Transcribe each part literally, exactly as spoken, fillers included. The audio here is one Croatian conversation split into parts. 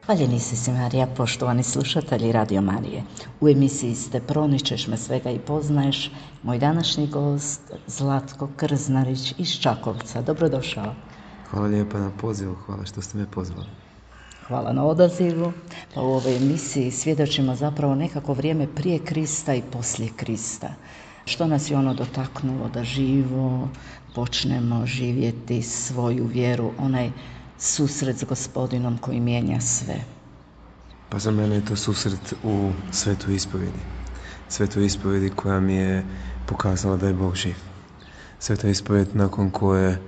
Hvaljeni si Marija, poštovani slušatelji Radio Marije. U emisiji ste Proničeš me svega i poznaješ. Moj današnji gost Zlatko Krznarić iz Čakovca. Dobrodošao. Hvala lijepa na pozivu, hvala što ste me pozvali. Hvala na odazivu. Pa u ovoj emisiji svjedočimo zapravo nekako vrijeme prije Krista i poslije Krista. Što nas je ono dotaknulo da živo počnemo živjeti svoju vjeru, onaj susret s Gospodinom koji mijenja sve. Pa za mene je to susret u Svetoj ispovjedi. Svetoj ispovjedi koja mi je pokazala da je Bog živ. Sveta ispovjed nakon koje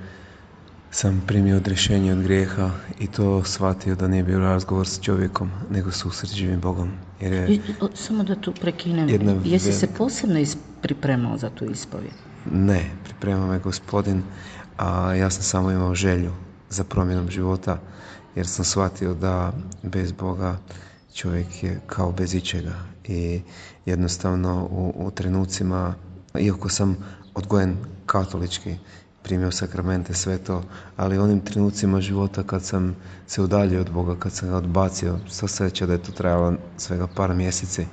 sam primio odrješenje od grijeha i to shvatio da nije bio razgovor s čovjekom, nego susret s živim Bogom. Jer je I, samo da tu prekinem, jesi velika... se posebno is- pripremao za tu ispovjed? Ne, pripremao me Gospodin, a ja sam samo imao želju za promjenom života, jer sam shvatio da bez Boga čovjek je kao bez ičega. I jednostavno u, u trenucima, iako sam odgojen katolički, primio sakramente, sve to, ali u onim trenucima života kad sam se udaljio od Boga, kad sam ga odbacio, sva sreća da je to trajalo svega par mjeseci,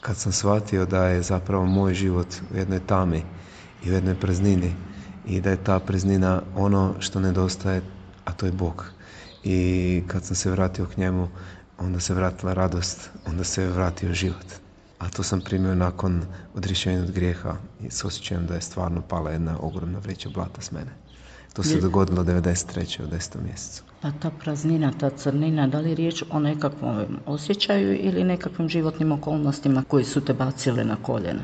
kad sam shvatio da je zapravo moj život u jednoj tami i u jednoj praznini i da je ta praznina ono što nedostaje, a to je Bog. I kad sam se vratio k njemu, onda se vratila radost, onda se vratio život. A to sam primio nakon odrješenja od grijeha i s osjećajem da je stvarno pala jedna ogromna vreća blata s mene. To se dogodilo devedeset treće u desetom mjesecu. Pa ta praznina, ta crnina, da li je riječ o nekakvom osjećaju ili nekakvim životnim okolnostima koji su te bacile na koljena?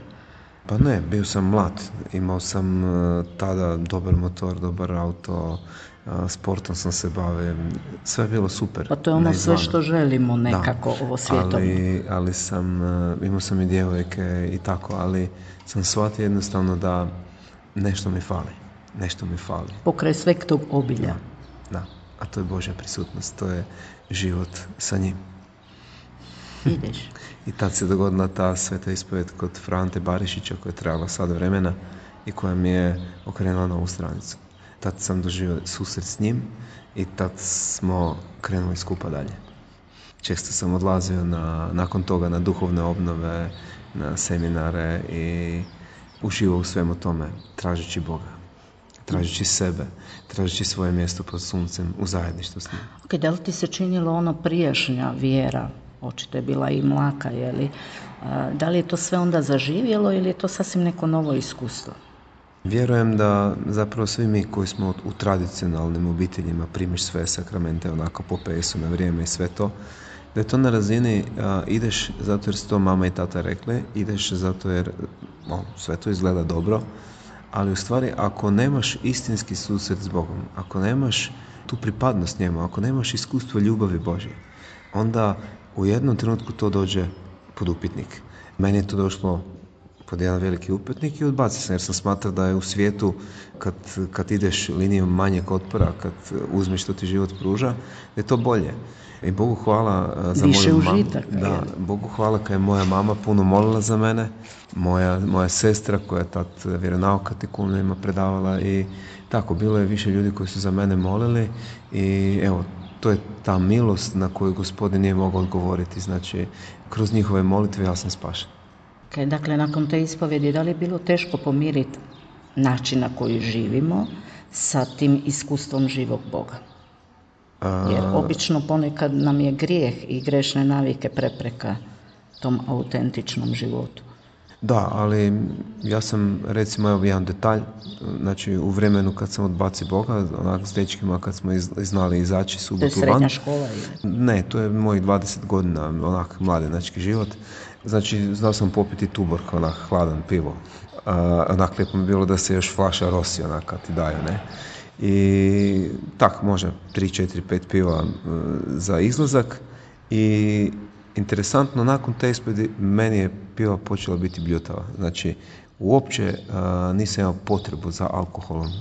Pa ne, bio sam mlad, imao sam uh, tada dobar motor, dobar auto, uh, sportom sam se bavio, sve je bilo super. Pa to je ono sve što želimo nekako, da, ovo svjetovno. Ali, ali sam, uh, imao sam i djevojke i tako, ali sam shvatio jednostavno da nešto mi fali, nešto mi fali. Pokraj sveg tog obilja. Da, da, a to je Božja prisutnost, to je život sa njim. Ideš. I tad se dogodila ta sveta ispovjed kod Frante Barišića koja je trajala sad vremena i koja mi je okrenula novu stranicu. Tad sam doživio susret s njim i tad smo krenuli skupa dalje. Često sam odlazio na, nakon toga na duhovne obnove, na seminare i uživao u svemu tome, tražeći Boga, tražeći sebe, tražeći svoje mjesto pod suncem u zajedništvu s njim. Ok, da li ti se činilo ono prijašnja vjera? Očito je bila i mlaka, je li? Da li je to sve onda zaživjelo ili je to sasvim neko novo iskustvo? Vjerujem da zapravo svi mi koji smo u tradicionalnim obiteljima primiš sve sakramente onako po pesu na vrijeme i sve to, da je to na razini a, ideš zato jer su to mama i tata rekli, ideš zato jer o, sve to izgleda dobro, ali u stvari ako nemaš istinski susret s Bogom, ako nemaš tu pripadnost njemu, ako nemaš iskustvo ljubavi Božje, onda u jednom trenutku to dođe pod upitnik. Meni je to došlo pod jedan veliki upitnik i odbacio sam jer sam smatrao da je u svijetu kad, kad ideš linijom manjeg otpora, kad uzmeš što ti život pruža, da je to bolje. I Bogu hvala za više moju mamu. Užitak, da, Bogu hvala kad je moja mama puno molila za mene, moja, moja sestra koja je tad vjeronauk katekumnima predavala i tako, bilo je više ljudi koji su za mene molili i evo, to je ta milost na koju Gospodin nije mogao odgovoriti. Znači, kroz njihove molitve ja sam spašen. Okay, dakle, nakon te ispovjedi, da li je bilo teško pomiriti način na koji živimo sa tim iskustvom živog Boga? Jer obično ponekad nam je grijeh i grešne navike prepreka tom autentičnom životu. Da, ali ja sam, recimo, evo jedan detalj, znači u vremenu kad sam odbacio Boga, onak s dečkima kad smo iz, znali izaći subotu van. To je srednja škola ili? Ne, to je mojih dvadeset godina, onak mladenački život. Znači, znao sam popiti tuborg, onak hladan pivo. Uh, onak lijepo mi bilo da se još flaša Rossi, onak kad ti daju, ne. I tak, može tri, četiri, pet piva za izlazak i interesantno, nakon te ispovedi meni je piva počela biti bljutava. Znači, uopće uh, nisam imao potrebu za alkoholom. Uh,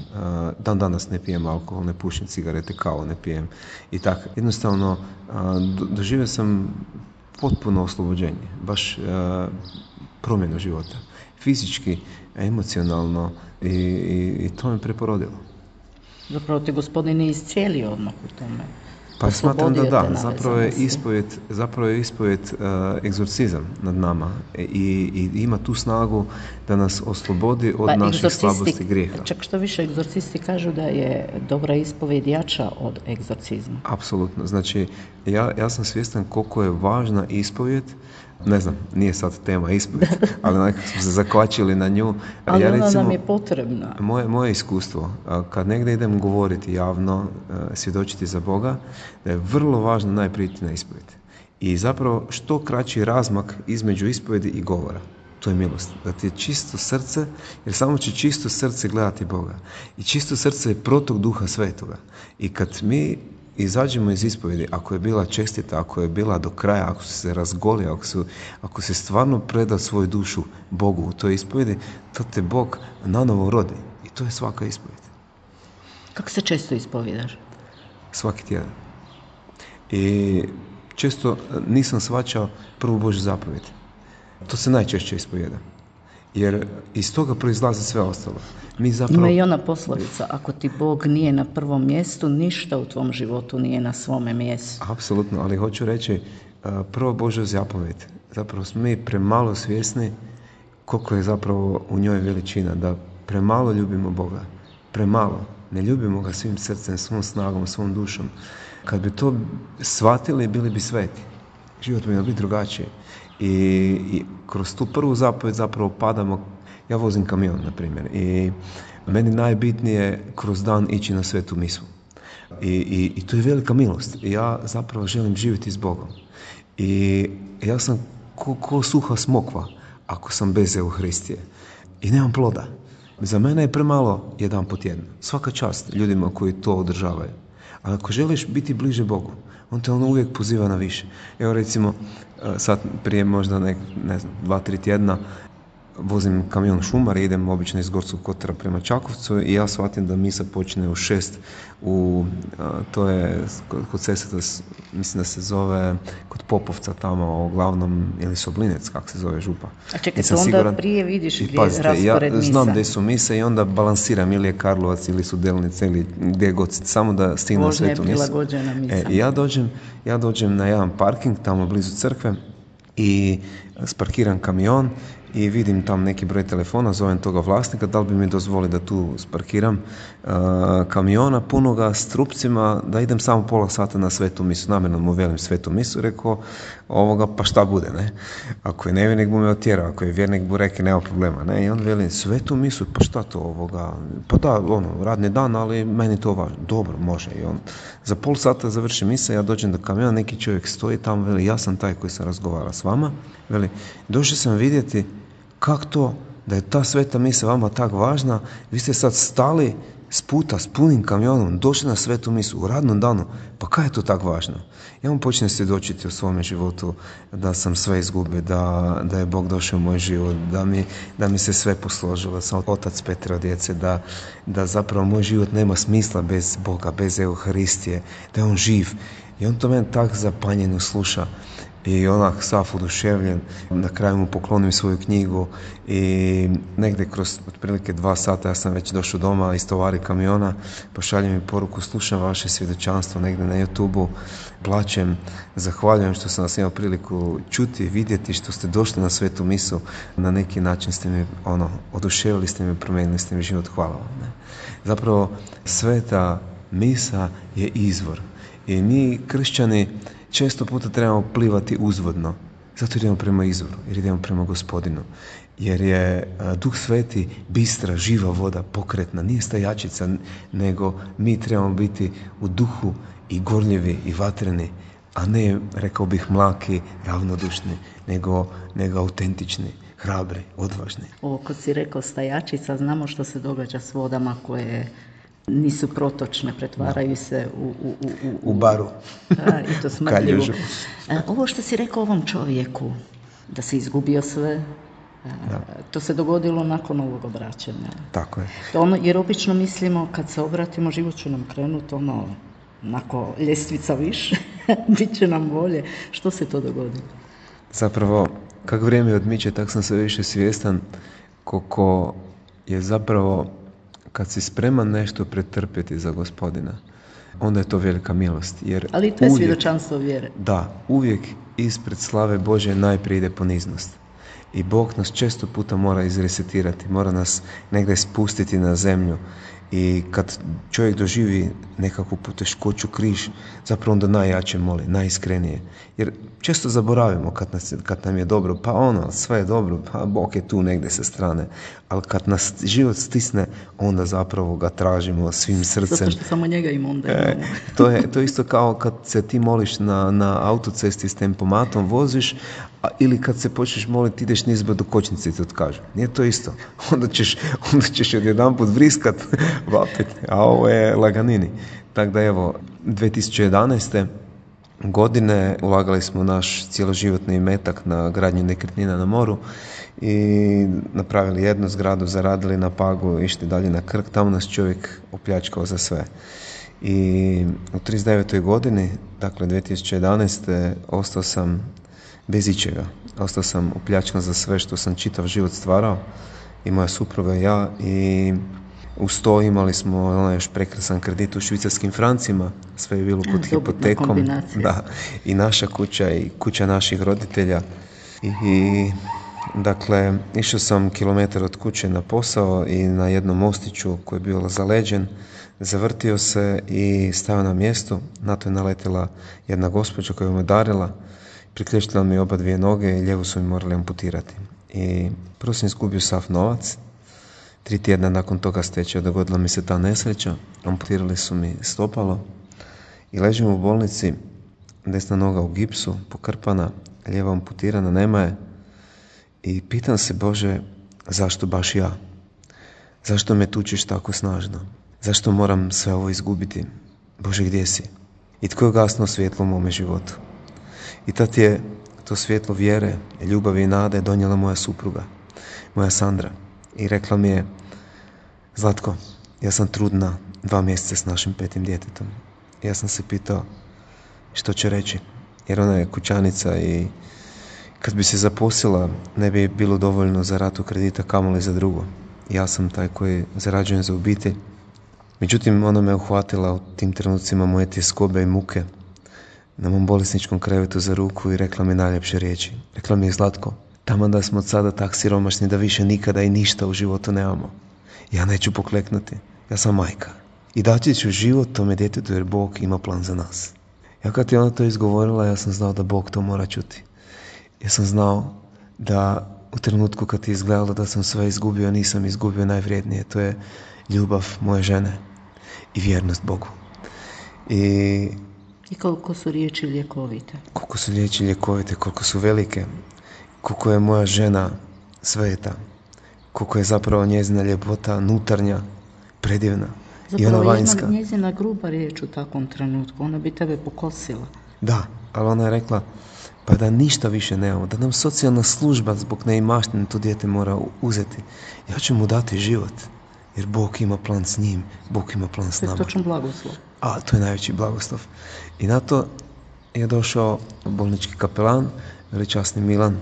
dan danas ne pijem alkohol, ne pušim cigarete, kavu ne pijem i tako. Jednostavno, uh, do, doživio sam potpuno oslobođenje, baš uh, promjenu života. Fizički, emocionalno i, i, i to me preporodilo. Zapravo te Gospodin je iscijelio odmah u tome. Pa smatram da da, zapravo je nevezanosti. ispovjed, zapravo je ispovjed uh, egzorcizam nad nama i, i ima tu snagu da nas oslobodi od Pa naših egzorcisti- slabosti i grijeha. Čak što više, egzorcisti kažu da je dobra ispovjed jača od egzorcizma. Apsolutno, znači ja, ja sam svjestan koliko je važna ispovjed, ne znam, nije sad tema ispovjed, ali nekako smo se zakvačili na nju. Ali ja, ona recimo, nam je potrebna. Moje, moje iskustvo, a, kad negdje idem govoriti javno, a, svjedočiti za Boga, da je vrlo važno najprije ići na ispovjed. I zapravo što kraći razmak između ispovjedi i govora. To je milost. Da ti je čisto srce, jer samo će čisto srce gledati Boga. I čisto srce je protok Duha Svetoga. I kad mi izađemo iz ispovjedi, ako je bila čestita, ako je bila do kraja, ako se razgoli, ako, su, ako se stvarno preda svoju dušu Bogu u toj ispovjedi, to te Bog nanovo rodi. I to je svaka ispovjed. Kako se često ispovjedaš? Svaki tjedan. I često nisam shvaćao prvu Božju zapovjed. To se najčešće ispovjeda. Jer iz toga proizlazi sve ostalo. Mi zapravo... Ima i ona poslovica, ako ti Bog nije na prvom mjestu, ništa u tvom životu nije na svome mjestu. Apsolutno, ali hoću reći, prva Božja zapovjed, zapravo smo mi premalo svjesni koliko je zapravo u njoj veličina, da premalo ljubimo Boga, premalo, ne ljubimo ga svim srcem, svom snagom, svom dušom. Kad bi to shvatili, bili bi sveti. Život bi biti drugačiji. I, I kroz tu prvu zapovjed zapravo padamo. Ja vozim kamion, na primjer, i meni najbitnije kroz dan ići na svetu misu. I, i, i to je velika milost. I ja zapravo želim živjeti s Bogom. I ja sam ko, ko suha smokva ako sam bez Euharistije. I nemam ploda. Za mene je premalo jedan po tjednu. Svaka čast ljudima koji to održavaju. Ali ako želiš biti bliže Bogu, on te ono uvijek poziva na više. Evo recimo, sad prije možda nek, ne znam, dva, tri tjedna vozim kamion šumar i idem obično iz Gorskog kotara prema Čakovcu i ja shvatim da misa počne u šest u, a, to je kod Sesveta, mislim da se zove kod Popovca tamo, uglavnom, ili Soblinec, kako se zove župa. A čekaj, Nisam to onda siguran. prije vidiš I gdje pazite, je raspored ja misa. znam gdje su mise i onda balansiram ili je Karlovac ili su Delnice ili gdje god, samo da stignem na Vožnja je svetu misu. prilagođena misa. E, i ja dođem, ja dođem na jedan parking tamo blizu crkve i sparkiram kamion i vidim tam neki broj telefona, zovem toga vlasnika, da li bi mi dozvoli da tu sparkiram uh, kamiona punoga s trupcima, da idem samo pola sata na svetu misu. Namjerno mu velim svetu misu, rekao, ovoga, pa šta bude, ne? Ako je nevjernik bu me otjerao, ako je vjernik bu reke, nema problema, ne? I on veli, svetu misu, pa šta to ovoga? Pa da, ono, radni dan, ali meni to važno. Dobro, može. I on za pol sata završi misa, ja dođem do kamiona, neki čovjek stoji tamo, veli, ja sam taj koji sam razgovara s vama, veli, došao sam vidjeti kako to da je ta sveta misa vama tak važna, vi ste sad stali s puta s punim kamionom, došli na svetu misu u radnom danu, pa kaj je to tak važno? Ja vam počnem svjedočiti o svome životu da sam sve izgubio, da, da je Bog došao u moj život, da mi, da mi se sve posložilo, da sam otac petero djece, da, da zapravo moj život nema smisla bez Boga, bez Euharistije, da je on živ. I on to meni tak zapanjeno sluša. I onak sav oduševljen, na kraju mu poklonim svoju knjigu i negdje kroz otprilike dva sata ja sam već došao doma iz tovari kamiona, pošaljem mi poruku, slušam vaše svjedočanstvo negdje na YouTubeu, plačem, zahvaljujem što sam vas imao priliku čuti, vidjeti, što ste došli na svetu misu, na neki način ste mi, ono, oduševili ste mi, promijenili ste mi život, hvala vam. Ne? Zapravo, sveta misa je izvor i mi kršćani često puta trebamo plivati uzvodno, zato idemo prema izvoru, jer idemo prema Gospodinu. Jer je Duh Sveti bistra, živa voda, pokretna, nije stajačica, nego mi trebamo biti u duhu i gorljivi i vatreni, a ne, rekao bih, mlaki, ravnodušni, nego, nego autentični, hrabri, odvažni. Ovo, kad si rekao stajačica, znamo što se događa s vodama koje nisu protočne, pretvaraju se u... U, u, u, u baru. A, i to smrdljivo. Ovo što si rekao ovom čovjeku, da se izgubio sve, da. To se dogodilo nakon ovog obraćanja. Tako je. To ono, jer obično mislimo kad se obratimo, život će nam krenuti ono, onako ljestvica više, bit će nam bolje. Što se to dogodilo? Zapravo, kako vrijeme odmiče, tak sam sve više svjestan koliko je zapravo, kad si spreman nešto pretrpjeti za Gospodina, onda je to velika milost. Jer ali to je uvijek, svjedočanstvo vjere. Da, uvijek ispred slave Božje najprije ide poniznost. I Bog nas često puta mora izresetirati, mora nas negdje spustiti na zemlju. I kad čovjek doživi nekakvu poteškoću, križ, zapravo onda najjače moli, najiskrenije. Jer često zaboravimo kad, nas, kad nam je dobro, pa ono, sve je dobro, pa Bog je tu negdje sa strane. Ali kad nas život stisne, onda zapravo ga tražimo svim srcem. Zato što samo njega ima onda. E, to, je, to je isto kao kad se ti moliš na, na autocesti s tempomatom, voziš, a, ili kad se počneš moliti, ideš nizbrdo kočnice i ti otkažu. Nije to isto. Onda ćeš, onda ćeš odjedanput vriskat, vapit, a ovo je laganini. Tako da evo, dvije tisuće jedanaeste godine ulagali smo naš cjeloživotni imetak na gradnju nekretnina na moru i napravili jednu zgradu, zaradili na Pagu, išli dalje na Krk, tamo nas čovjek opljačkao za sve. I u trideset devetoj godini, dakle dvije tisuće jedanaeste ostao sam bez ičega. Ostao sam opljačkan za sve što sam čitav život stvarao, i moja supruga i ja, i uz to imali smo onaj još prekrasan kredit u švicarskim francima, sve je bilo pod hipotekom. Da, i naša kuća i kuća naših roditelja. I, i dakle, išao sam kilometar od kuće na posao i na jednom mostiću koji je bio zaleđen, zavrtio se i stao na mjestu. Na to je naletila jedna gospođa koja me udarila, priključila mi oba dvije noge i lijevu su mi morali amputirati. I prvo sam izgubio sav novac. Tri tjedna nakon toga stečaja dogodila mi se ta nesreća, amputirali su mi stopalo i ležim u bolnici, desna noga u gipsu, pokrpana, lijeva amputirana, nema je. I pitam se, Bože, zašto baš ja? Zašto me tučeš tako snažno? Zašto moram sve ovo izgubiti? Bože, gdje si? I tko je gasno svjetlo u mome životu? I tad je to svjetlo vjere, ljubavi i nade donijela moja supruga, moja Sandra. I rekla mi je, Zlatko, ja sam trudna dva mjeseca s našim petim djetetom. Ja sam se pitao što će reći, jer ona je kućanica i kad bi se zaposlila ne bi bilo dovoljno za ratu kredita, kamoli za drugo. Ja sam taj koji zarađujem za obitelj. Međutim, ona me uhvatila u tim trenucima moje tjeskobe i muke na mom bolesničkom krevetu za ruku i rekla mi najljepše riječi. Rekla mi je, Zlatko, tamo da smo od sada tak siromašni da više nikada i ništa u životu nemamo. Ja neću pokleknuti, ja sam majka. I dati ću život tome djetetu jer Bog ima plan za nas. Ja kad je ona to izgovorila, ja sam znao da Bog to mora čuti. Ja sam znao da u trenutku kad je izgledalo da sam sve izgubio, nisam izgubio najvrijednije. To je ljubav moje žene i vjernost Bogu. I, I koliko su riječi ljekovite. Koliko su riječi ljekovite, koliko su velike. Koliko je moja žena sveta, koliko je zapravo njezina ljepota nutarnja, predivna. Zapravo i ona vanjska. Zapravo njezina gruba riječ u takvom trenutku, ona bi tebe pokosila. Da, ali ona je rekla, pa da ništa više nemamo, da nam socijalna služba zbog neimaštine to dijete mora uzeti. Ja ću mu dati život, jer Bog ima plan s njim, Bog ima plan s nama. To je točan blagoslov. A, to je najveći blagoslov. I na to je došao bolnički kapelan, veličasni Milan,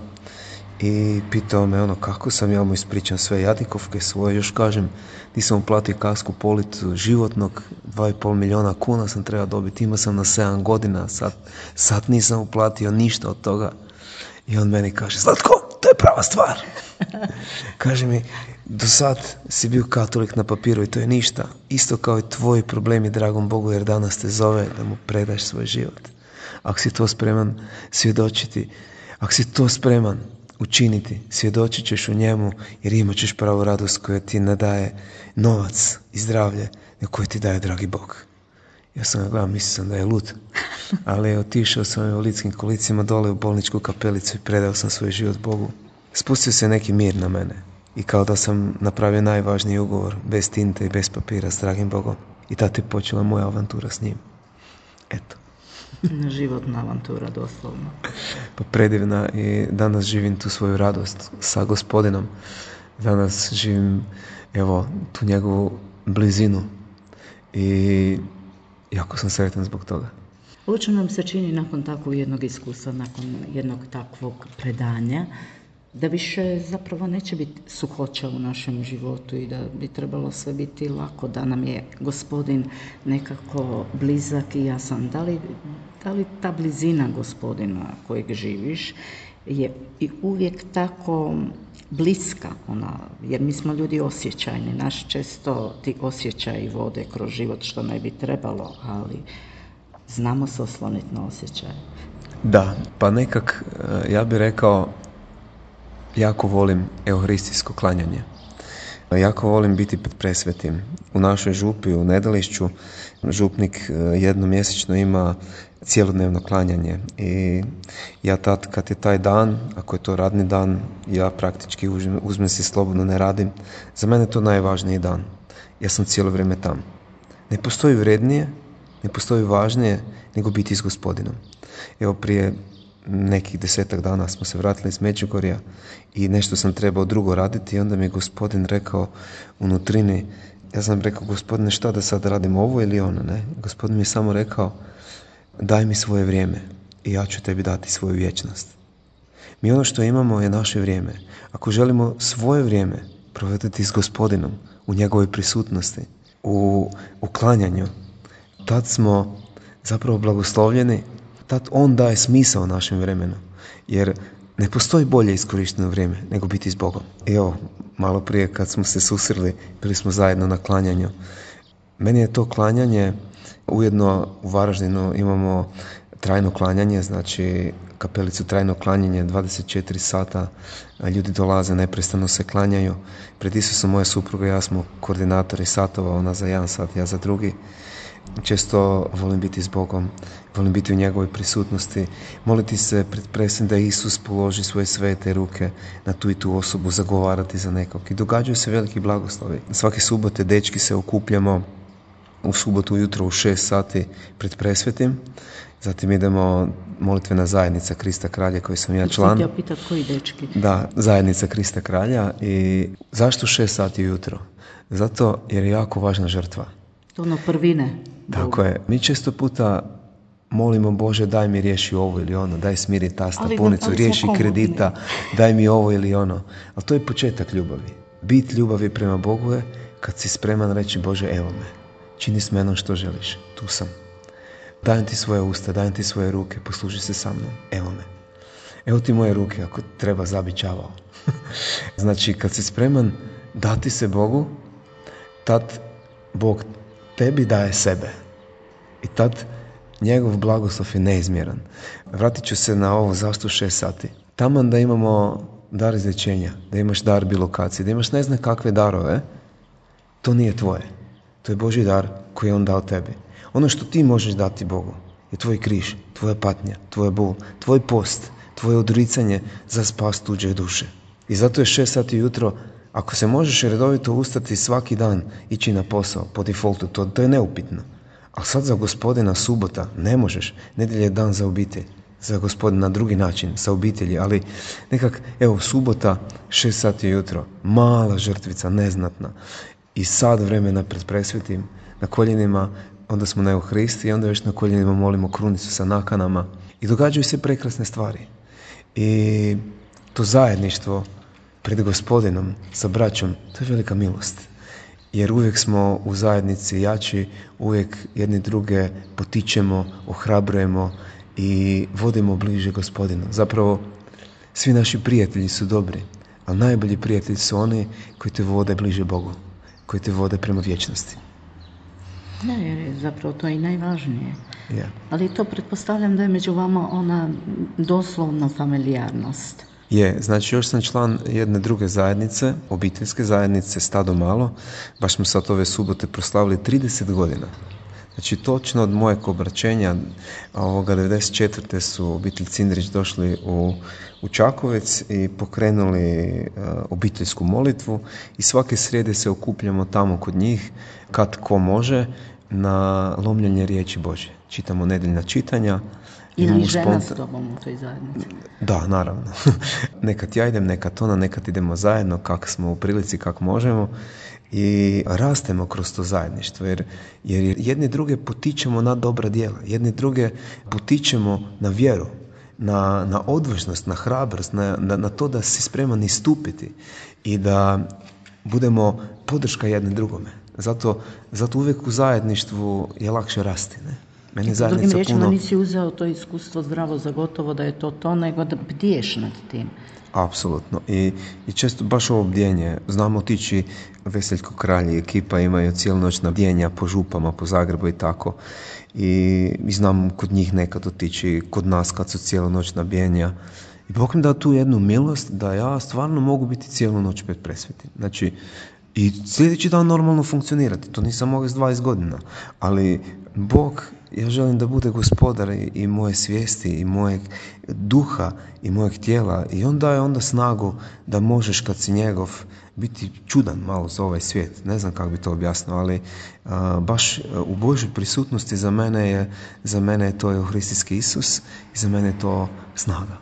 i pitao me ono kako sam, ja mu ispričam sve jadikovke svoje, još kažem nisam uplatio kasku policu životnog, dva i pol milijuna kuna sam trebao dobiti, imao sam na sedam godina, sad, sad nisam uplatio ništa od toga. I on meni kaže, Zlatko, to je prava stvar. Kaže mi, do sad si bio katolik na papiru i to je ništa, isto kao i tvoji problemi, dragom Bogu, jer danas te zove da mu predaš svoj život. Ako si to spreman svjedočiti, ako si to spreman učiniti, svjedočit ćeš u njemu, jer imat ćeš pravu radost koja ti ne daje novac i zdravlje, nego koje ti daje dragi Bog. Ja sam ga gledao, mislio sam da je lud, ali otišao sam u invalidskim kolicima dole u bolničku kapelicu i predao sam svoj život Bogu. Spustio se neki mir na mene. I kao da sam napravio najvažniji ugovor, bez tinte i bez papira s dragim Bogom. I tada je počela moja avantura s njim. Eto. Životna avantura, doslovno. Pa predivna, i danas živim tu svoju radost sa Gospodinom. Danas živim, evo, tu njegovu blizinu i jako sam sretan zbog toga. Ovo nam se čini nakon takvog jednog iskustva, nakon jednog takvog predanja, da više zapravo neće biti suhoća u našem životu i da bi trebalo sve biti lako, da nam je Gospodin nekako blizak i jasan. Da li, da li ta blizina Gospodina kojeg živiš je i uvijek tako bliska, ona, jer mi smo ljudi osjećajni, naš često ti osjećaji vode kroz život što ne bi trebalo, ali znamo se osloniti na osjećaje. Da, pa nekak, ja bih rekao, jako volim euharistijsko klanjanje. Jako volim biti pred presvetim. U našoj župi, u Nedelišću, župnik jednomjesečno ima cjelodnevno klanjanje. I ja tad, kad je taj dan, ako je to radni dan, ja praktički uzmem, uzmem si slobodno, ne radim. Za mene je to najvažniji dan. Ja sam cijelo vrijeme tam. Ne postoji vrednije, ne postoji važnije nego biti s Gospodinom. Evo, prije nekih desetak dana smo se vratili iz Međugorja i nešto sam trebao drugo raditi i onda mi je Gospodin rekao u nutrini, ja sam rekao, Gospodine, šta da sad radim, ovo ili ono, ne? Gospodin mi je samo rekao, daj mi svoje vrijeme i ja ću tebi dati svoju vječnost. Mi ono što imamo je naše vrijeme. Ako želimo svoje vrijeme provediti s Gospodinom u njegovoj prisutnosti, u uklanjanju, tad smo zapravo blagoslovljeni, tad on daje smisao našem vremenu, jer ne postoji bolje iskorišteno vrijeme nego biti s Bogom. I evo, malo prije kad smo se susreli, bili smo zajedno na klanjanju. Meni je to klanjanje, ujedno u Varaždinu imamo trajno klanjanje, znači kapelicu trajno klanjanje, dvadeset četiri sata, ljudi dolaze, neprestano se klanjaju. Pred Isusom moja supruga i ja smo koordinatori satova, ona za jedan sat, ja za drugi. Često volim biti s Bogom, volim biti u njegovoj prisutnosti, moliti se pred presvetim da Isus položi svoje svete ruke na tu i tu osobu, zagovarati za nekog. I događaju se veliki blagoslovi. Svake subote dečki se okupljamo u subotu ujutro u šest sati pred presvetim. Zatim idemo molitvena zajednica Krista Kralja, koji sam ja član. Ja pitat koji dečki? Da, zajednica Krista Kralja. I zašto šest sati ujutro? Zato jer je jako važna žrtva. To ono prvine. Tako je. Mi često puta molimo, Bože, daj mi riješi ovo ili ono, daj smiri tasta, punicu, riješi kredita, daj mi ovo ili ono. Ali to je početak ljubavi. Bit ljubavi prema Bogu je kad si spreman reći, Bože, evo me, čini s menom što želiš, tu sam. Dajem ti svoje usta, dajem ti svoje ruke, posluži se sa mnom, evo me. Evo ti moje ruke, ako treba zabit čavao. Znači, kad si spreman dati se Bogu, tad Bog tebi daje sebe. I tad njegov blagoslov je neizmjeran. Vratit ću se na ovo zašto šest sati. Taman da imamo dar izlječenja, da imaš dar bilokacije, da imaš ne znam kakve darove, to nije tvoje. To je Božji dar koji je on dao tebi. Ono što ti možeš dati Bogu je tvoj križ, tvoja patnja, tvoj bol, tvoj post, tvoje odricanje za spas tuđe duše. I zato je šest sati jutro. Ako se možeš redovito ustati svaki dan, ići na posao, po defaultu, to, to je neupitno. Ali sad za Gospodina subota ne možeš, nedjelja je dan za obitelj, za Gospodina na drugi način, sa obitelji, ali nekak, evo, subota, šest sati jutro, mala žrtvica, neznatna, i sad vremena pred presvetim, na koljenima, onda smo na Euharistiji, onda već na koljenima molimo krunicu sa nakanama i događaju se prekrasne stvari. I to zajedništvo pred Gospodinom, sa braćom, to je velika milost. Jer uvijek smo u zajednici jači, uvijek jedni druge potičemo, ohrabrujemo i vodimo bliže Gospodinu. Zapravo, svi naši prijatelji su dobri, ali najbolji prijatelji su oni koji te vode bliže Bogu, koji te vode prema vječnosti. Da, jer je zapravo to i najvažnije. Yeah. Ali to pretpostavljam da je među vama ona doslovno familijarnost. Je, znači još sam član jedne druge zajednice, obiteljske zajednice, Stado Malo. Baš smo sad ove subote proslavili trideset godina. Znači, točno od mojeg obraćenja, ovoga devedeset četvrte su obitelj Cindrić došli u, u Čakovec i pokrenuli uh, obiteljsku molitvu i svake srijede se okupljamo tamo kod njih, kad ko može, na lomljenje riječi Božje. Čitamo nedjeljna čitanja. Ili i žena s tobom u toj zajednici? Da, naravno. Nekad ja idem, nekad ona, nekad idemo zajedno, kako smo u prilici, kako možemo. I rastemo kroz to zajedništvo, jer, jer jedni druge potičemo na dobra djela, jedni druge potičemo na vjeru, na, na odvažnost, na hrabrost, na, na, na to da si spreman istupiti i da budemo podrška jedne drugome. Zato, zato uvijek u zajedništvu je lakše rasti, ne? Meni zajednica drugim riječima puno... nisi uzeo to iskustvo zdravo za gotovo da je to to, nego da bdiješ nad tim. Apsolutno. I, i često baš ovo bdjenje. Znamo otići Veseljko Kralj i ekipa imaju cijelu noć na bdjenja po župama, po Zagrebu i tako. I, i znam kod njih nekad otići, kod nas kad su cijelu noć na bdjenja. I Bog mi da tu jednu milost da ja stvarno mogu biti cijelu noć pred presvetim. Znači, i sljedeći dan normalno funkcionirati. To nisam mogao s dvadeset godina. Ali Bog, ja želim da bude gospodar i, i moje svijesti i mojeg duha i mojeg tijela i on daje onda snagu da možeš kad si njegov biti čudan malo za ovaj svijet. Ne znam kako bi to objasnio, ali a, baš u Božoj prisutnosti za mene je, za mene je to Euharistijski Isus i za mene je to snaga.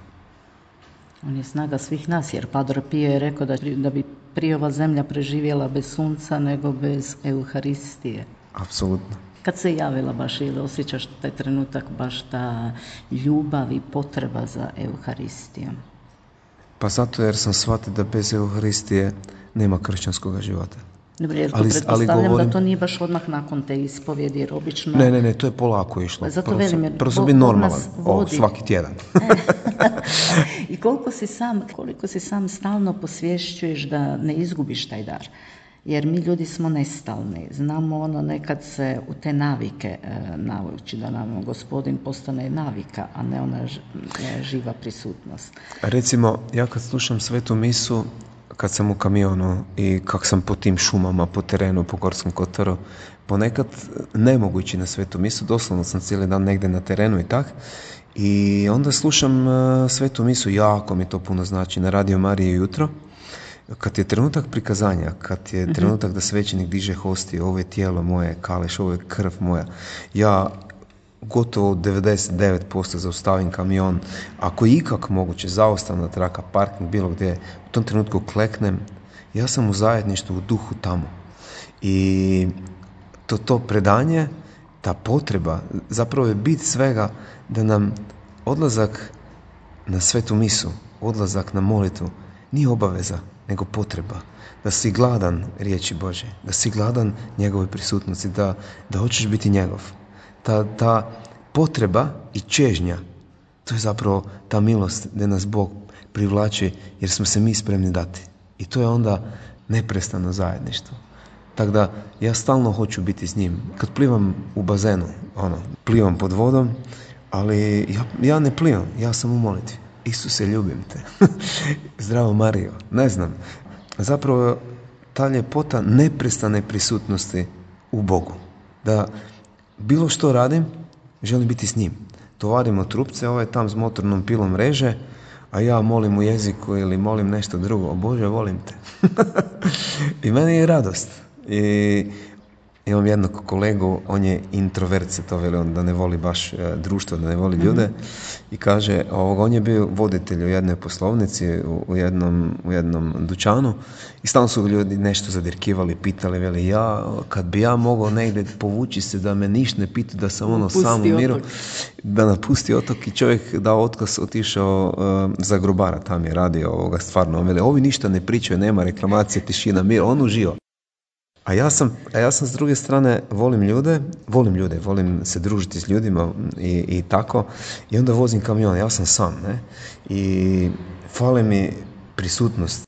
On je snaga svih nas, jer Padre Pio je rekao da, da bi prije ova zemlja preživjela bez sunca nego bez Euharistije. Apsolutno. Kad se javila baš ili osjećaš taj trenutak baš ta ljubav i potreba za Euharistijom? Pa zato jer sam shvatio da bez Euharistije nema kršćanskog života. Dobro, jer to ali, pretpostavljam ali govorim... da to nije baš odmah nakon te ispovjedi, jer obično... Ne, ne, ne, to je polako išlo. Zato prvo velim, sam, prvo sam biti normalan, o, svaki tjedan. I koliko si sam, koliko si sam stalno posvješćuješ da ne izgubiš taj dar. Jer mi ljudi smo nestalni. Znamo ono nekad se u te navike e, navući, da nam Gospodin postane navika, a ne ona ž, e, živa prisutnost. Recimo, ja kad slušam svetu misu, kad sam u kamionu i kak sam po tim šumama, po terenu, po Gorskom kotaru, ponekad ne mogu ići na svetu misu, doslovno sam cijeli dan negdje na terenu i tak. I onda slušam uh, svetu misu, jako mi to puno znači, na Radio Mariji jutro. Kad je trenutak prikazanja, kad je mm-hmm. trenutak da svećenik diže hostiju, ovo je tijelo moje, kaleš, ovo je krv moja, ja gotovo devedeset devet posto zaustavim kamion, ako je ikak moguće, zaustavna traka, parking, bilo gdje, u tom trenutku kleknem, ja sam u zajedništvu, u duhu tamo. I to, to predanje, ta potreba, zapravo je bit svega da nam odlazak na svetu misu, odlazak na molitvu, nije obaveza, nego potreba. Da si gladan riječi Bože, da si gladan njegove prisutnosti, da, da hoćeš biti njegov. Ta, ta potreba i čežnja, to je zapravo ta milost gdje nas Bog privlači jer smo se mi spremni dati. I to je onda neprestano zajedništvo. Tako da ja stalno hoću biti s njim. Kad plivam u bazenu, ono, plivam pod vodom, ali ja, ja ne plivam, ja sam u molitvi. Isuse, ljubim te. Zdravo Marijo. Ne znam. Zapravo ta ljepota neprestane prisutnosti u Bogu. Da bilo što radim, želim biti s njim. Tovarimo trupce, ovaj tam s motornom pilom reže, a ja molim u jeziku ili molim nešto drugo. O Bože, volim te. I meni je radost. I imam jednog kolegu, on je introvert, se to veli, on da ne voli baš e, društvo, da ne voli ljude. Mm-hmm. I kaže, ovog, on je bio voditelj u jednoj poslovnici, u, u, jednom, u jednom dućanu i stalno su ljudi nešto zadirkivali, pitali, veli, ja, kad bi ja mogao negdje povući se da me ništa ne pita, da sam ono sam u miru, da napusti otok i čovjek dao otkaz, otišao uh, za grobara, tam je radio ovoga stvarno. On veli, ovi ništa ne pričaju, nema reklamacije, tišina, mir, on uživa. A ja sam, a ja sam s druge strane, volim ljude, volim ljude, volim se družiti s ljudima i, i tako. I onda vozim kamion, ja sam sam, ne? I fale mi prisutnost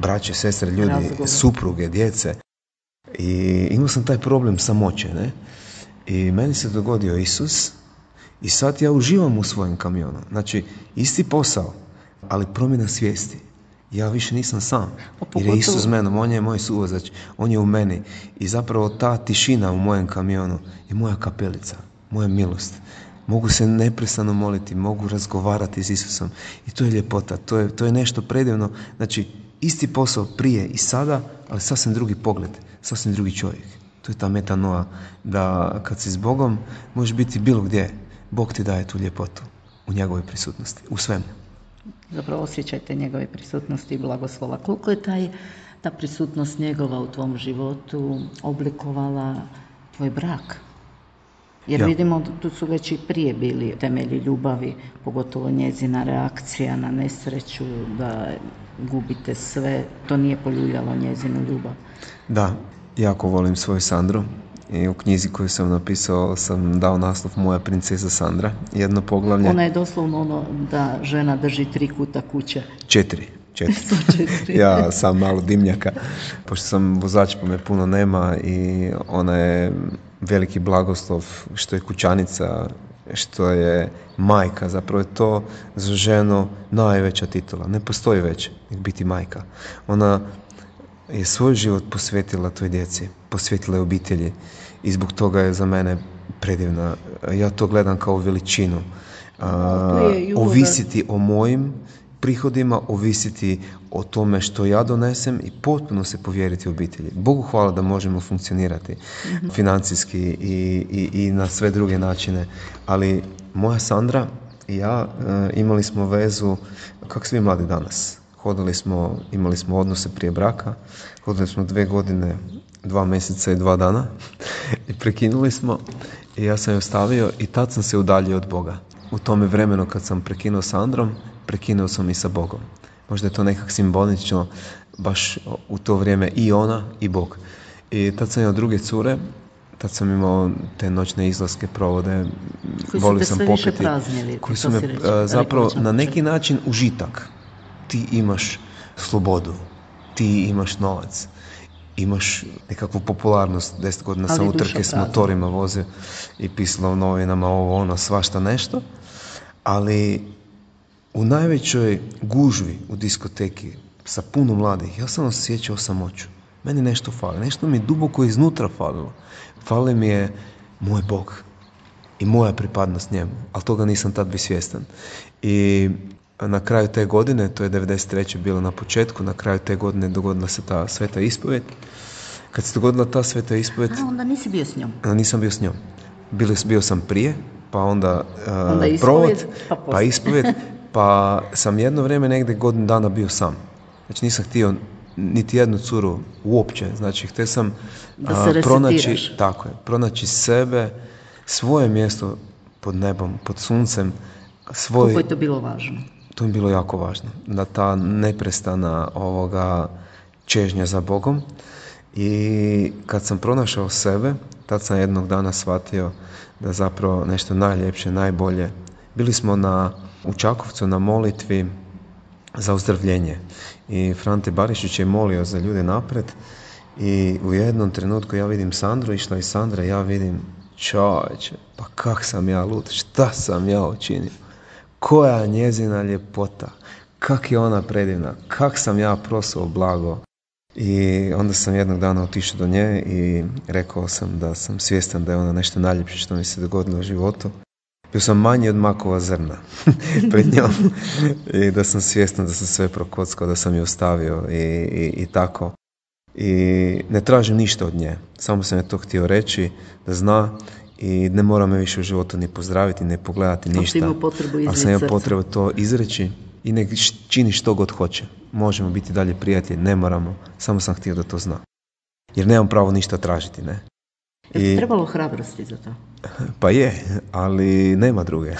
braće, sestre, ljudi, Razgovor. supruge, djece. I imao sam taj problem samoće, ne? I meni se dogodio Isus i sad ja uživam u svojem kamionu. Znači, isti posao, ali promjena svijesti. ja više nisam sam. Pogotovo... Jer je Isus s menom, on je moj suvozač, on je u meni. I zapravo ta tišina u mojem kamionu je moja kapelica, moja milost. Mogu se neprestano moliti, mogu razgovarati s Isusom. I to je ljepota, to je, to je nešto predivno. Znači, isti posao prije i sada, ali sasvim drugi pogled, sasvim drugi čovjek. To je ta metanoa, da kad si s Bogom, možeš biti bilo gdje. Bog ti daje tu ljepotu u njegovoj prisutnosti, u svemu. Zapravo osjećajte njegove prisutnosti i blagoslova. Koliko je taj, ta prisutnost njegova u tvom životu oblikovala tvoj brak? Jer ja. vidimo, tu su već i prije bili temelji ljubavi, pogotovo njezina reakcija na nesreću, da gubite sve. To nije poljuljalo njezinu ljubav. Da, jako volim svoju Sandru. I u knjizi koju sam napisao sam dao naslov Moja princeza Sandra, jedno poglavlje. Ona je doslovno ono da žena drži tri kuta kuće. Četiri. Četiri. Ja sam malo dimnjaka, pošto sam vozač pa me puno nema i ona je veliki blagoslov što je kućanica, što je majka. Zapravo je to za ženu najveća titula. Ne postoji već nek biti majka. Ona je svoj život posvetila toj djeci, posvetila je obitelji i zbog toga je za mene predivna. Ja to gledam kao veličinu. A, ovisiti o mojim prihodima, ovisiti o tome što ja donesem i potpuno se povjeriti obitelji. Bogu hvala da možemo funkcionirati mm-hmm. financijski i, i, i na sve druge načine, ali moja Sandra i ja e, imali smo vezu kako svi mladi danas. Hodali smo, imali smo odnose prije braka, hodali smo dve godine, dva mjeseca i dva dana i prekinuli smo i ja sam je ostavio i tad sam se udaljio od Boga. U tome vremenu kad sam prekinuo s Androm, prekinuo sam i sa Bogom. Možda je to nekak simbolično, baš u to vrijeme i ona i Bog. I tad sam imao druge cure, tad sam imao te noćne izlaske, provode, volio sam popiti, koji su me reći, zapravo na neki način užitak. Ti imaš slobodu, ti imaš novac, imaš nekakvu popularnost. Deset godina sam utrke s motorima vozio i pisalo u novinama ovo, ono, svašta nešto, ali u najvećoj gužvi u diskoteki sa puno mladih, ja sam osjećao samoću. Meni nešto fali, nešto mi je duboko iznutra falilo. Fali mi je moj Bog i moja pripadnost njemu, ali toga nisam tad bio svjestan. I na kraju te godine, to je devedeset treće bilo na početku, na kraju te godine dogodila se ta sveta ispovjed. Kad se dogodila ta sveta ispovjed... A, onda nisi bio s njom? Nisam bio s njom. Bio, bio sam prije, pa onda, uh, onda provod, pa, pa ispovjed, pa sam jedno vrijeme negdje godinu dana bio sam. Znači nisam htio niti jednu curu uopće. Znači htio sam uh, pronaći, tako je, pronaći sebe, svoje mjesto pod nebom, pod suncem. Svoj... Koliko je to bilo važno? To je bilo jako važno. Da ta neprestana ovoga čežnja za Bogom. I kad sam pronašao sebe, tad sam jednog dana shvatio da zapravo nešto najljepše, najbolje. Bili smo na, u Čakovcu na molitvi za ozdravljenje. I Frante Barišić je molio za ljude napred i u jednom trenutku ja vidim Sandru, išla i Sandra, ja vidim čovječe, pa kak sam ja lud, šta sam ja učinio? Koja njezina ljepota, kak je ona predivna, kak sam ja prosao blago. I onda sam jednog dana otišao do nje i rekao sam da sam svjestan da je ona nešto najljepše što mi se dogodilo u životu. Bio sam manji od makova zrna pred njom i da sam svjestan da sam sve prokockao, da sam je ostavio i, i, i tako. I ne tražim ništa od nje, samo sam je to htio reći, da zna i ne mora me više u životu ni pozdraviti, ne pogledati ništa. Ali sam imao potrebu to izreći i nek čini što god hoće. Možemo biti dalje prijatelji, ne moramo, samo sam htio da to zna. Jer nemam pravo ništa tražiti, ne. Je trebalo hrabrosti za to? Pa je, ali nema druge.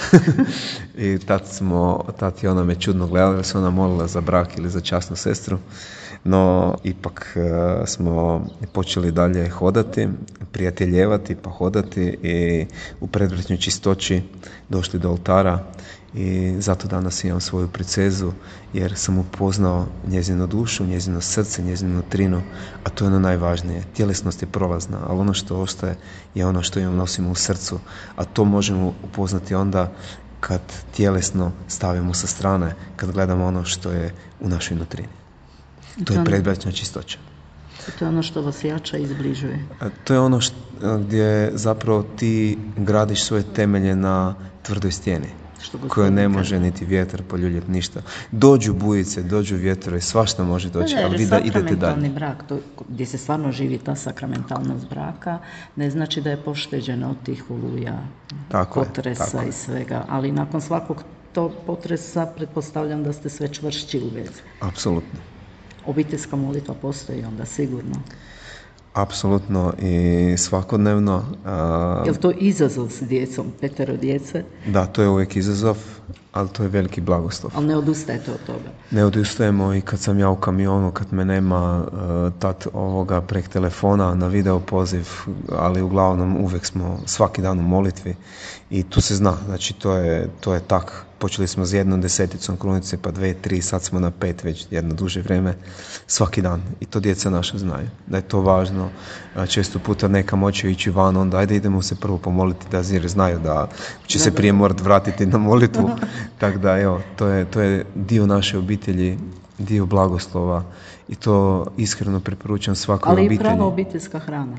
I tad smo, tad je ona me čudno gledala, jer se ona molila za brak ili za časnu sestru. No, ipak uh, smo počeli dalje hodati, prijateljevati, pa hodati i u predvrtnoj čistoći došli do oltara i zato danas imam svoju princezu, jer sam upoznao njezinu dušu, njezino srce, njezinu nutrinu, a to je ono najvažnije. Tjelesnost je prolazna, ali ono što ostaje je ono što imam nosimo u srcu, a to možemo upoznati onda kad tjelesno stavimo sa strane, kad gledamo ono što je u našoj nutrini. To je predbračna čistoća. To je ono što vas jača i zbližuje. To je ono što, gdje zapravo ti gradiš svoje temelje na tvrdoj stijeni, koje ne može niti vjetar poljuljati, ništa. Dođu bujice, dođu vjetrovi, svašta može doći, ne, ne, ali vi da idete dalje. Sakramentalni brak, to, gdje se stvarno živi ta sakramentalnost braka, ne znači da je pošteđena od tih oluja, tako potresa je, tako i svega, ali nakon svakog tog potresa pretpostavljam da ste sve čvršći u vezi. Apsolutno. Obiteljska molitva postoji onda sigurno. Apsolutno i svakodnevno. Je li to izazov s djecom, petero djece? Da, to je uvijek izazov, ali to je veliki blagoslov. Ali ne odustajete od toga? Ne odustajemo i kad sam ja u kamionu, kad me nema tad ovoga prek telefona na video poziv, ali uglavnom uvijek smo svaki dan u molitvi i tu se zna, znači to je, to je tak. Počeli smo s jednom deseticom krunice, pa dve, tri, sad smo na pet već jedno duže vrijeme, svaki dan. I to djeca naša znaju, da je to važno. Često puta neka moći ići van, onda ajde idemo se prvo pomoliti, da jer znaju da će se prije morati vratiti na molitvu. Tako da, evo, to je, to je dio naše obitelji, dio blagoslova i to iskreno preporučam svakoj obitelji. Ali i prava obiteljska hrana.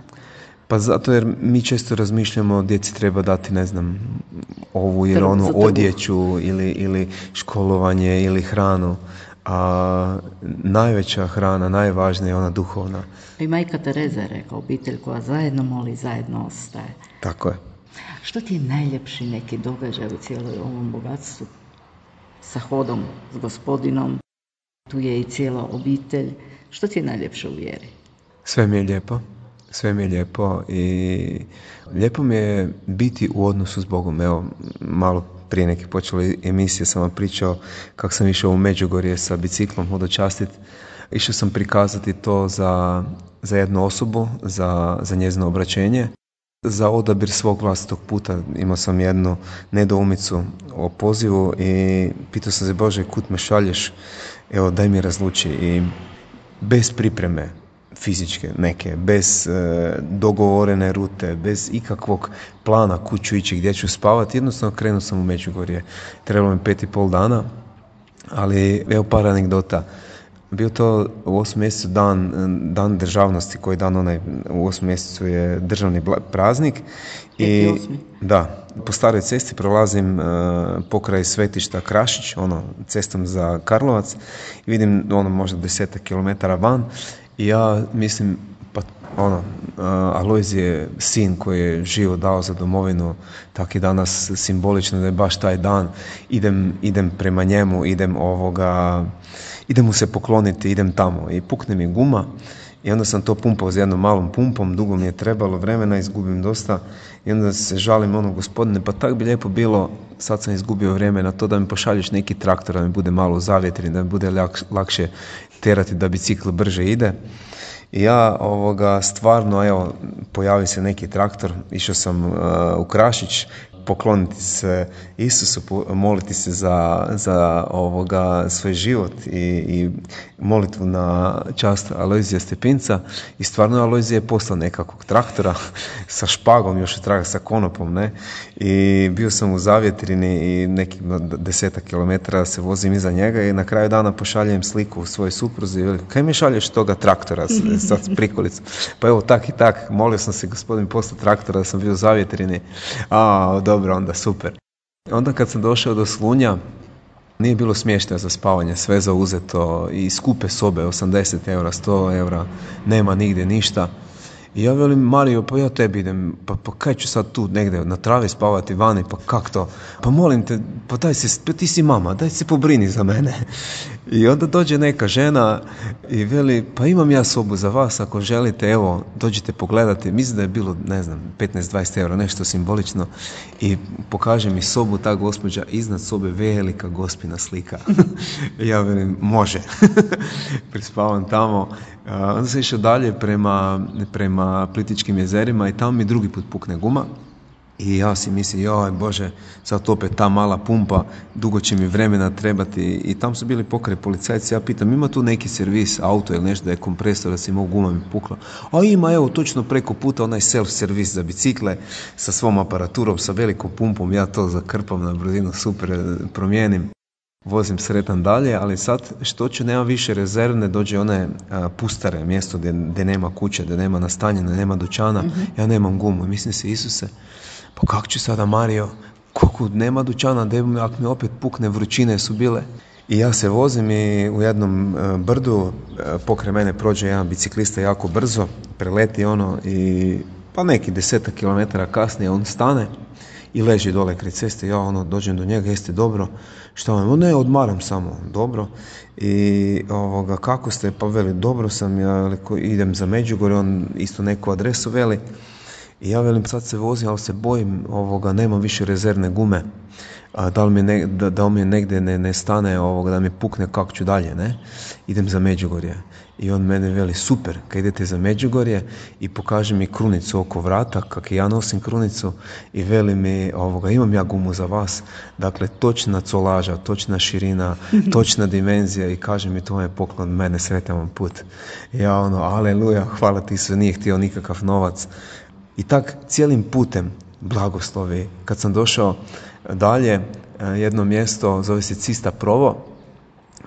Pa zato jer mi često razmišljamo djeci treba dati, ne znam, ovu ili onu odjeću ili, ili školovanje ili hranu. A najveća hrana, najvažnija je ona duhovna. I majka Tereza je rekla, obitelj koja zajedno moli, zajedno ostaje. Tako je. Što ti je najljepši neki događaj u cijeloj ovom bogatstvu? Sa hodom, s Gospodinom, tu je i cijela obitelj. Što ti je najljepše u vjeri? Sve mi je lijepo. Sve mi je lijepo i lijepo mi je biti u odnosu s Bogom. Evo, malo prije neke počele emisije sam vam pričao kako sam išao u Međugorje sa biciklom hodočastiti. Išao sam prikazati to za, za jednu osobu, za, za njezino obraćenje, za odabir svog vlastitog puta. Imao sam jednu nedoumicu o pozivu i pitao sam se, Bože, kud me šalješ? Evo, daj mi razluči. I bez pripreme fizičke neke, bez e, dogovorene rute, bez ikakvog plana kud ću ići, gdje ću spavati, jednostavno krenuo sam u Međugorje. Trebalo mi pet i pol dana, ali evo par anegdota. Bio to u osmom mjesecu dan, dan državnosti, koji dan onaj u osmom mjesecu je državni praznik. I da, po staroj cesti prolazim uh, pokraj svetišta Krašić, ono, cestom za Karlovac i vidim ono možda desetak kilometara van i ja mislim, pa ono, uh, Alojzije sin koji je život dao za domovinu, tak je danas simbolično da je baš taj dan, idem, idem prema njemu, idem ovoga, idem mu se pokloniti, idem tamo i pukne mi guma i onda sam to pumpao s jednom malom pumpom, dugo mi je trebalo vremena, izgubim dosta i onda se žalim ono, Gospodine, pa tak bi lijepo bilo, sad sam izgubio vrijeme na to da mi pošalješ neki traktor, da mi bude malo zavjetren, da mi bude lak, lakše terati da bicikl brže ide. I ja ovoga stvarno, evo, pojavi se neki traktor, išao sam uh, u Krašić, pokloniti se Isusu, moliti se za, za ovoga svoj život i, i molitvu na čast Alojzija Stepinca i stvarno Alojzije je poslao nekakvog traktora sa špagom, još traga sa konopom, ne, i bio sam u zavjetrini i nekih desetak kilometara se vozim iza njega i na kraju dana pošaljem sliku u svojoj supruzi i veli, kaj mi šalješ toga traktora sad s prikolicom? Pa evo tak i tak, molio sam se, Gospodin, poslao traktora da sam bio u zavjetrini. A, dobro, onda super. Onda kad sam došao do Slunja, nije bilo smještaja za spavanje, sve zauzeto i skupe sobe, osamdeset eura, sto eura, nema nigdje ništa. I ja velim, Mario, pa ja tebi idem, pa, pa kaj ću sad tu negdje na travi spavati vani, pa kak to? Pa molim te, pa daj se, pa ti si mama, daj se pobrini za mene. I onda dođe neka žena i veli, pa imam ja sobu za vas, ako želite, evo, dođite pogledati. Mislim da je bilo, ne znam, petnaest dvadeset eura, nešto simbolično. I pokaže mi sobu, ta gospođa, iznad sobe velika gospina slika. Ja velim, može. Prispavam tamo. Uh, onda sam išao dalje prema, prema Plitvičkim jezerima i tamo mi drugi put pukne guma i ja si mislim, joj Bože, sad opet ta mala pumpa, dugo će mi vremena trebati i tamo su bili pokraj policajci, ja pitam, ima tu neki servis, auto ili nešto da je kompresor, da si mogu guma mi pukla, a ima, evo, točno preko puta onaj self-servis za bicikle sa svom aparaturom, sa velikom pumpom, ja to zakrpam na brzinu, super, promijenim. vozim sretan dalje, ali sad što ću, nema više rezervne, dođe one a, pustare, mjesto gdje, gdje nema kuće, gdje nema nastanjene, nema dućana, mm-hmm. ja nemam gumu. Mislim se, Isuse, pa kako ću sada, Mario, koliko nema dućana, da ako mi opet pukne, vrućine su bile. I ja se vozim i u jednom a, brdu a, pokraj mene prođe jedan biciklista jako brzo, preleti ono i pa neki desetak kilometara kasnije on stane i leži dole kraj ceste. Ja ono dođem do njega, jeste dobro? Šta vam? Ne, odmaram samo. Dobro. I ovoga, kako ste? Pa veli, dobro sam, ja idem za Međugorje, on isto neku adresu veli. I ja velim, sad se vozim, ali se bojim, ovoga, nemam više rezervne gume. A da li mi, ne, da, da mi negdje ne, ne stane, ovoga, da mi pukne, kako ću dalje, ne? Idem za Međugorje. I on mene veli, super, kad idete za Međugorje i pokaže mi krunicu oko vrata, kak i ja nosim krunicu, i veli mi, ovoga, imam ja gumu za vas, dakle, točna colaža, točna širina, točna dimenzija, i kaže mi, to je poklon mene, sretan vam put. I ja ono, aleluja, hvala ti se, nije htio nikakav novac. I tak cijelim putem blagoslovi. Kad sam došao dalje, jedno mjesto zove se Cista Provo,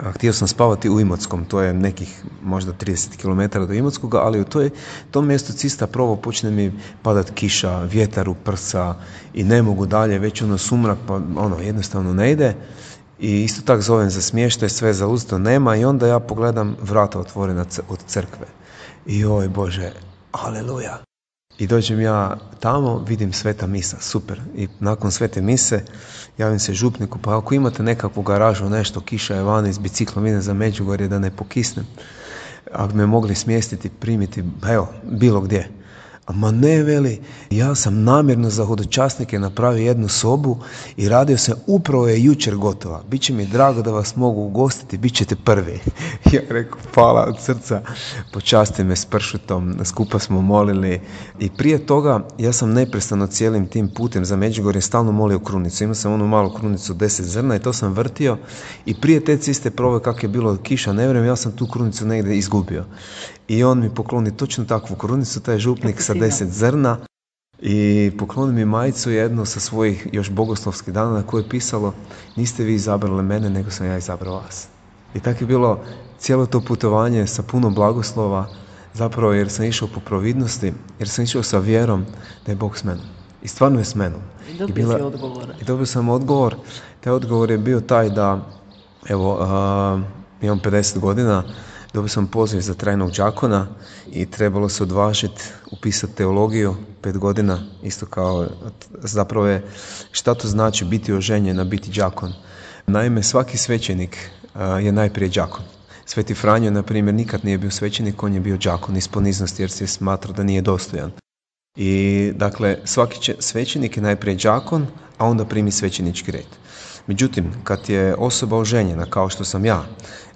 a htio sam spavati u Imotskom, to je nekih možda trideset kilometara do Imotskoga, ali u toj, tom mjestu Cista Provo počne mi padat kiša, vjetar u prsa i ne mogu dalje, već ono sumrak, pa ono jednostavno ne ide. I isto tak zovem za smještaj, sve zauzeto nema, i onda ja pogledam vrata otvorena od crkve. I oj Bože, aleluja. I dođem ja tamo, vidim sveta misa, super. I nakon svete mise javim se župniku, pa ako imate nekakvu garažu, nešto, kiša je vani, s biciklom idem za Međugorje da ne pokisnem, ako me mogli smjestiti, primiti, evo, bilo gdje. Ma ne, veli, ja sam namjerno za hodočasnike napravio jednu sobu i radio sam, upravo je jučer gotova. Biće mi drago da vas mogu ugostiti, bit ćete prvi. Ja rekao, hvala od srca, počasti me s pršutom, skupa smo molili. I prije toga ja sam neprestano cijelim tim putem za Međugorje stalno molio krunicu. Imao sam onu malu krunicu deset zrna i to sam vrtio, i prije te Ciste Prove, kak je bilo kiša, ne vjerujem, ja sam tu krunicu negdje izgubio. I on mi pokloni točno takvu krunicu, taj župnik sa deset zrna, i pokloni mi majicu jednu sa svojih još bogoslovskih dana na kojoj je pisalo, niste vi izabrali mene, nego sam ja izabrao vas. I tako je bilo cijelo to putovanje sa puno blagoslova, zapravo jer sam išao po providnosti, jer sam išao sa vjerom da je Bog s menom. I stvarno je s menom. I dobio I bila, si odgovor. I dobio sam odgovor. Taj odgovor je bio taj da, evo, uh, imam pedeset godina, dobio sam poziv za trajnog đakona i trebalo se odvažiti upisati teologiju, pet godina, isto kao, zapravo je, šta to znači biti oženjen, a biti đakon. Naime, svaki svećenik uh, je najprije đakon. Sveti Franjo, na primjer, nikad nije bio svećenik, on je bio đakon iz poniznosti jer se smatrao da nije dostojan. I dakle, svaki će, svećenik je najprije đakon, a onda primi svećenički red. Međutim, kad je osoba oženjena, kao što sam ja,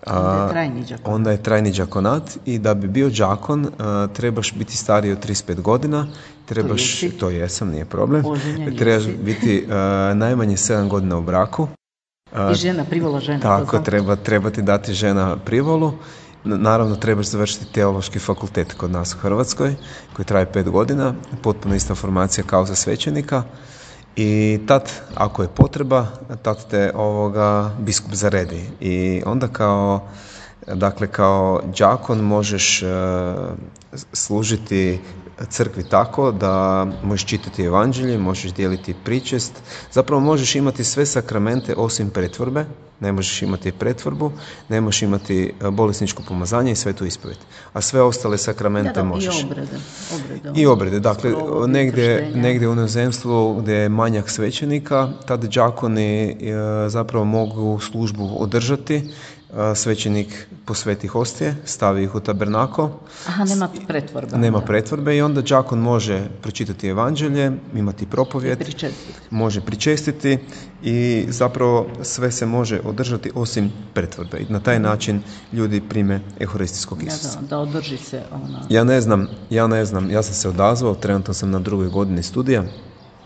onda je trajni đakonat, onda je trajni đakonat, i da bi bio đakon a, trebaš biti stariji od trideset pet godina, trebaš, to, to jesam, nije problem, trebaš biti a, najmanje sedam godina u braku. A, I žena, privola žena. Tako, treba, treba ti dati žena privolu. Naravno, trebaš završiti teološki fakultet kod nas u Hrvatskoj, koji traje pet godina, potpuno ista formacija kao za svećenika. I tad, ako je potreba, tad te ovoga biskup zaredi. I onda kao, dakle, kao đakon možeš uh, služiti crkvi tako da možeš čitati evanđelje, možeš dijeliti pričest, zapravo možeš imati sve sakramente osim pretvorbe, ne možeš imati pretvorbu, ne možeš imati bolesničko pomazanje i svetu ispovijed. A sve ostale sakramente da, da, možeš. I obrede. obrede I obrede. Dakle, negdje, negdje u inozemstvu gdje je manjak svećenika, tad đakoni e, zapravo mogu službu održati. Svećenik posveti hostije, stavi ih u tabernako. Aha, nema pretvorbe. Nema pretvorbe i onda đakon može pročitati evanđelje, imati propovjed, pričestiti. može pričestiti i zapravo sve se može održati osim pretvorbe. I na taj način ljudi prime euharistijskog Isusa. Da, da održi se ona. Ja ne znam, ja ne znam, ja sam se odazvao, trenutno sam na drugoj godini studija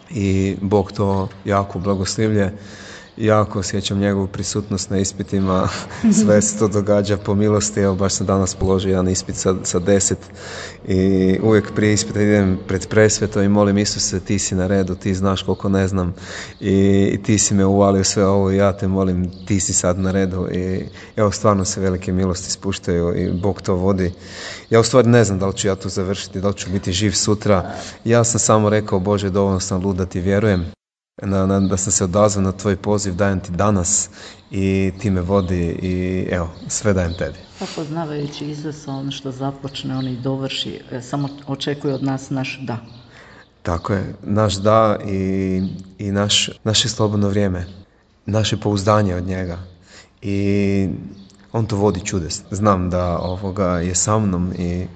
i Bog to jako blagoslivlje. jako osjećam njegovu prisutnost na ispitima, sve se to događa po milosti. Evo, baš sam danas položio jedan ispit sa, sa deset i uvijek prije ispita idem pred presveto i molim Isuse, ti si na redu, ti znaš koliko ne znam i, i ti si me uvalio sve ovo i ja te molim, ti si sad na redu i evo, stvarno se velike milosti spuštaju i Bog to vodi. Ja u stvari ne znam da li ću ja tu završiti, da li ću biti živ sutra. Ja sam samo rekao, Bože, dovoljno sam lud da ti vjerujem, na, na, da sam se odazvao na tvoj poziv, dajem ti danas i ti me vodi i evo, sve dajem tebi. Pa poznavajući Isusa, on što započne, on i dovrši, samo očekuje od nas naš da. Tako je, naš da i, i naš, naše slobodno vrijeme, naše pouzdanje od njega i on to vodi čudesno. Znam da ovoga je sa mnom i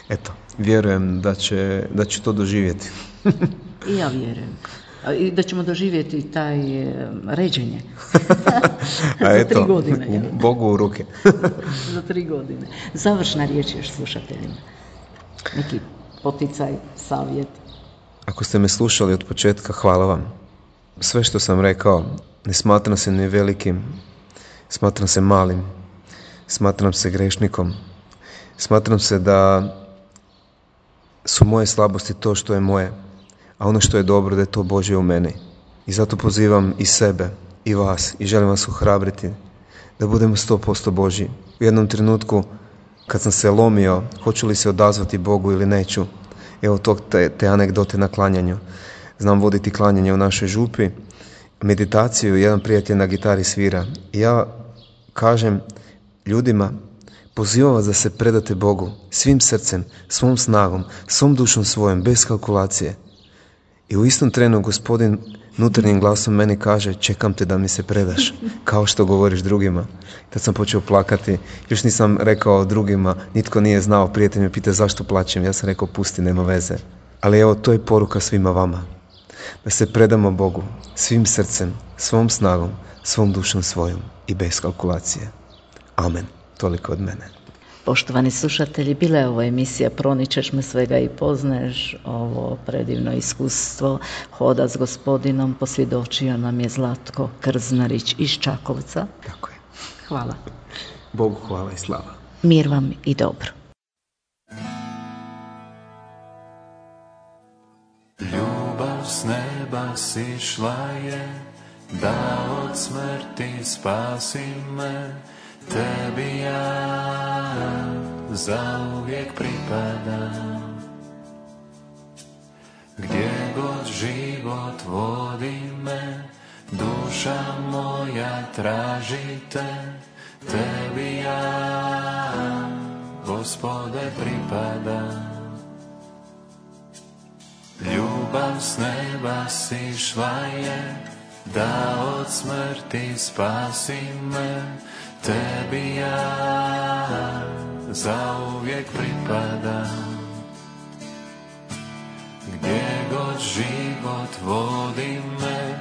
eto, vjerujem da će, da će to doživjeti. I ja vjerujem. I da ćemo doživjeti taj ređenje. A eto, za tri godine. Bogu u ruke. Za tri godine. Završna riječ još slušateljima. Neki poticaj, savjet. Ako ste me slušali od početka, hvala vam. Sve što sam rekao, ne smatram se ni velikim, smatram se malim, smatram se grešnikom, smatram se da su moje slabosti to što je moje, a ono što je dobro da je to Božje u meni. I zato pozivam i sebe i vas i želim vas ohrabriti da budemo sto posto Božji. U jednom trenutku kad sam se lomio hoću li se odazvati Bogu ili neću, evo tog te, te anegdote na klanjanju. Znam voditi klanjanje u našoj župi, meditaciju, jedan prijatelj na gitari svira i ja kažem ljudima, pozivam vas da se predate Bogu svim srcem, svom snagom, svom dušom svojom, bez kalkulacije. I u istom trenu Gospodin unutarnjim glasom meni kaže, čekam te da mi se predaš, kao što govoriš drugima. Tad sam počeo plakati, još nisam rekao drugima, nitko nije znao, prijatelj me pita zašto plačem, ja sam rekao pusti, nema veze. Ali evo, to je poruka svima vama, da se predamo Bogu svim srcem, svom snagom, svom dušom svojom i bez kalkulacije. Amen. Toliko od mene. Poštovani slušatelji, bila je ovo emisija Proničeš me svega i poznaješ, ovo predivno iskustvo hoda s Gospodinom posvjedočio nam je Zlatko Krznarić iz Čakovca. Tako je. Hvala. Bogu hvala i slava. Mir vam i dobro. Ljubav s neba sišla je, da od smrti spasi me. Tebi ja zauvijek pripadam, gdje god život vodi me, duša moja traži te. Tebi ja, Gospode, pripadam. Ljubav s neba sišla je, da od smrti spasi me. Tebi ja zauvijek pripadam, gdje god život vodi me,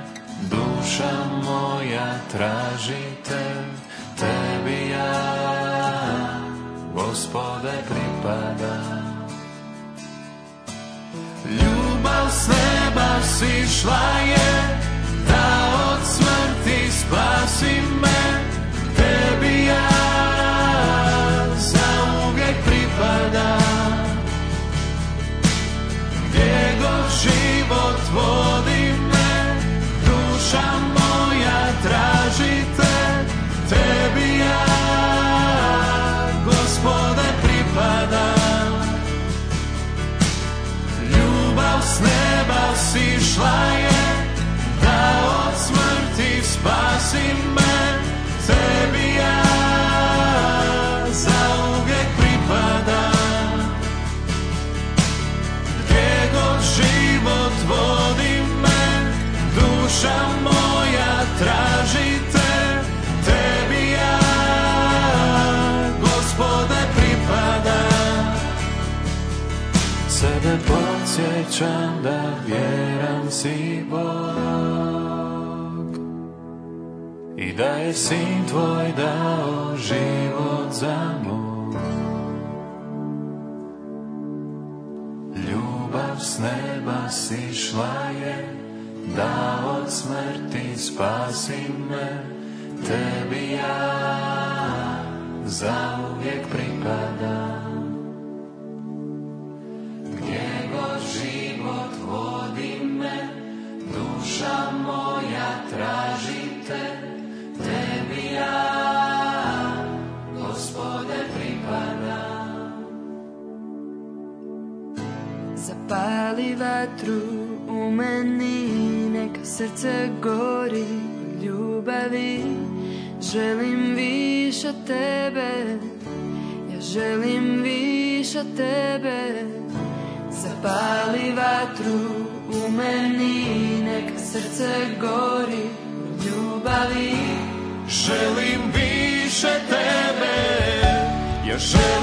duša moja traži te. Tebi ja, Gospode, pripadam. Ljubav s neba sišla je, da od smrti spasi me. Tebi ja zauvijek pripadam, gdje god život vodi me, duša moja traži te. Tebi ja, Gospode, pripadam. Ljubav s neba sišla je, da od smrti spasi me. Tebi ja zauvijek pripadam, gdje god život vodi me, duša moja traži te. Tebi ja, Gospode, pripadam. Sebe podsjećam da vjeran si Bog i da je Sin tvoj dao život za moj. Ljubav s neba sišla je, da od smrti spasi me, tebi ja zauvijek pripadam. Gdje god život vodi me, duša moja traži te, tebi ja, Gospode, pripadam. Zapali vatru u meni, neka srce gori od ljubavi. Želim više tebe, ja želim više tebe. Zapali vatru u meni, neka srce gori od ljubavi. Želim više tebe, ja želim